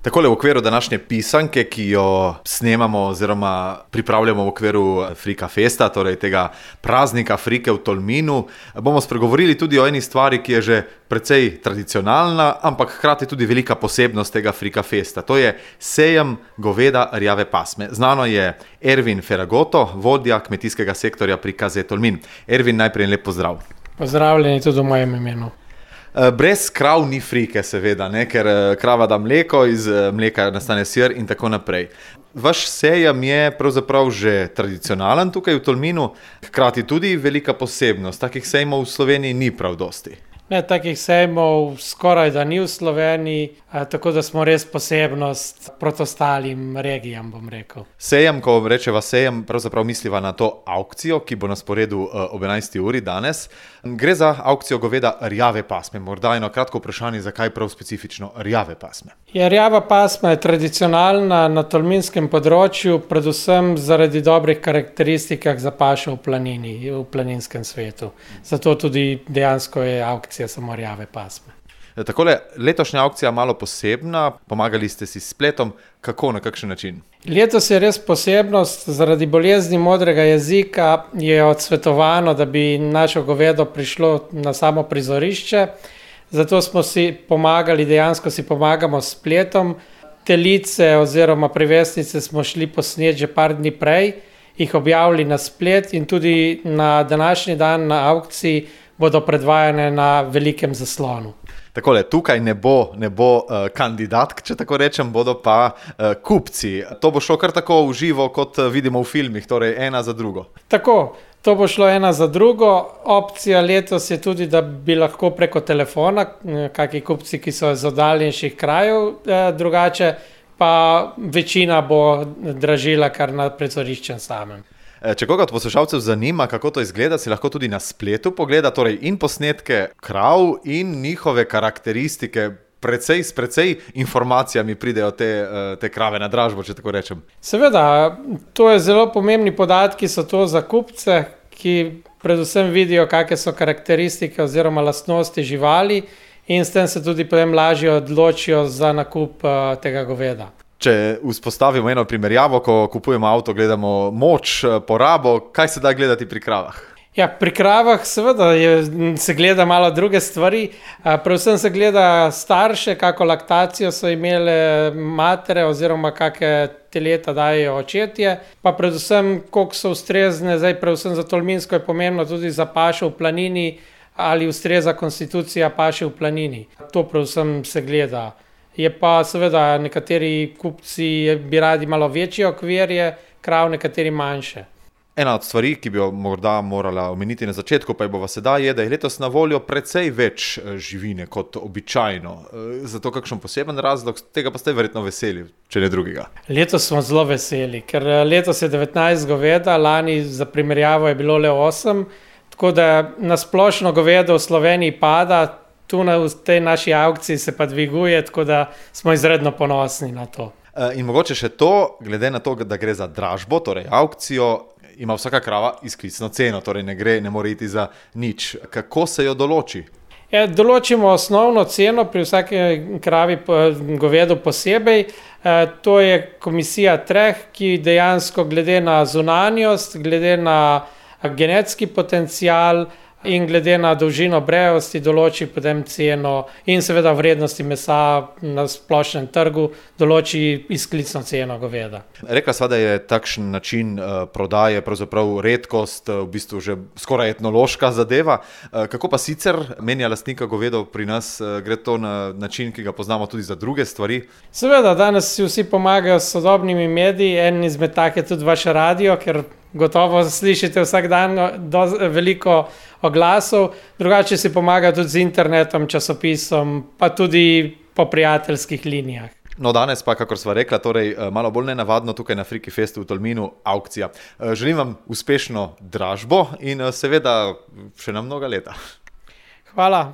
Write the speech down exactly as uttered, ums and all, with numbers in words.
Takole v okviru današnje pisanke, ki jo snemamo oziroma pripravljamo v okviru Frika Festa, torej tega praznika Frike v Tolminu, bomo spregovorili tudi o eni stvari, ki je že precej tradicionalna, ampak hkrati tudi velika posebnost tega Frika Festa. To je sejem goveda rjave pasme. Znano je Ervin Feragoto, vodja kmetijskega sektorja pri K Z Tolmin. Ervin, najprej lep pozdrav. Pozdravljeni tudi v mojem imenu. Brez krav ni frike, seveda, ne? Ker krava da mleko, iz mleka nastane sir in tako naprej. Vaš sejem je pravzaprav že tradicionalen tukaj v Tolminu, hkrati tudi velika posebnost. Takih sejmov v Sloveniji ni prav dosti. Ne, takih sejmov skoraj da ni v Sloveniji, tako da smo res posebnost proti ostalim regijam, bom rekel. Sejem, ko rečeva sejem, pravzaprav misliva na to aukcijo, ki bo na sporedu ob enajsti uri danes. Gre za aukcijo goveda rjave pasme. Morda eno kratko vprašanje, zakaj prav specifično rjave pasme? Ja, rjava pasma je tradicionalna na tolminskem področju, predvsem zaradi dobrih karakteristik za pašo v planini, v planinskem svetu. Zato tudi dejansko je aukcija samo rjave pasme. Takole, letošnja aukcija malo posebna, pomagali ste si s spletom, kako, na kakšen način? Letos je res posebnost, zaradi bolezni modrega jezika je odsvetovano, da bi našo govedo prišlo na samo prizorišče, zato smo si pomagali, dejansko si pomagamo s spletom. Telice oziroma privesnice smo šli posnet že par dni prej, jih objavili na splet in tudi na današnji dan na aukciji bodo predvajane na velikem zaslonu. Takole, tukaj ne bo, ne bo uh, kandidatk, če tako rečem, bodo pa uh, kupci. To bo šlo kar tako v živo, kot vidimo v filmih, torej ena za drugo. Tako, to bo šlo ena za drugo. Opcija letos je tudi, da bi lahko preko telefona, kakšni kupci, ki so iz oddaljenejših krajev, eh, drugače pa večina bo dražila kar na prizoriščem samem. Če koga od poslušalcev zanima, kako to izgleda, si lahko tudi na spletu pogleda, torej in posnetke krav in njihove karakteristike, precej s precej informacijami pridejo te, te krave na dražbo, če tako rečem. Seveda, to je zelo pomembni podatki, so to za kupce, ki predvsem vidijo, kakšne so karakteristike oziroma lastnosti živali in s tem se tudi potem lažje odločijo za nakup tega goveda. Če vzpostavimo eno primerjavo, ko kupujemo avto, gledamo moč, porabo, kaj se da gledati pri kravah? Ja, pri kravah seveda je, se gleda malo druge stvari. Predvsem se gleda starše, kako laktacijo so imele matere oziroma kakšne teleta dajejo očetje, pa predvsem koliko so ustrezne, zdaj predvsem za Tolminsko je pomembno tudi za pašo v planini ali ustreza konstitucija paše v planini. To predvsem se gleda. Je pa seveda nekateri kupci bi radi malo večje okvirje, krav nekateri manjše. Ena od stvari, ki bi jo morda morala omeniti na začetku, pa je bova sedaj, je, da je letos na voljo precej več živine kot običajno. Zato kakšen poseben razlog, tega pa ste verjetno veseli, če ne drugega. Letos smo zelo veseli, ker letos je devetnajst goveda, lani za primerjavo je bilo le osem, tako da na splošno govedo v Sloveniji pada. Tu na, v tej naši aukciji se pa dviguje, tako da smo izredno ponosni na to. In mogoče še to, glede na to, da gre za dražbo, torej aukcijo, ima vsaka krava izklicno ceno, torej ne gre, ne more iti za nič. Kako se jo določi? Ja, določimo osnovno ceno pri vsake kravi govedu posebej. E, to je komisija treh, ki dejansko glede na zunanjost, glede na genetski potencial in glede na dolžino brejosti določi potem ceno in seveda vrednosti mesa na splošnem trgu določi izklicno ceno goveda. Rekla sva, da je takšen način uh, prodaje pravzaprav redkost, v bistvu že skoraj etnološka zadeva. Uh, kako pa sicer menja lastnika govedov pri nas? Uh, gre to na način, ki ga poznamo tudi za druge stvari? Seveda, danes si vsi pomagajo s sodobnimi mediji, en izmed tak je tudi vaš radio, ker gotovo slišite vsak dan do, veliko oglasov, drugače si pomaga tudi z internetom, časopisom, pa tudi po prijateljskih linijah. No, danes pa, kakor sva rekla, torej malo bolj nenavadno tukaj na Friki Festu v Tolminu, aukcija. Želim vam uspešno dražbo in seveda še na mnoga leta. Hvala.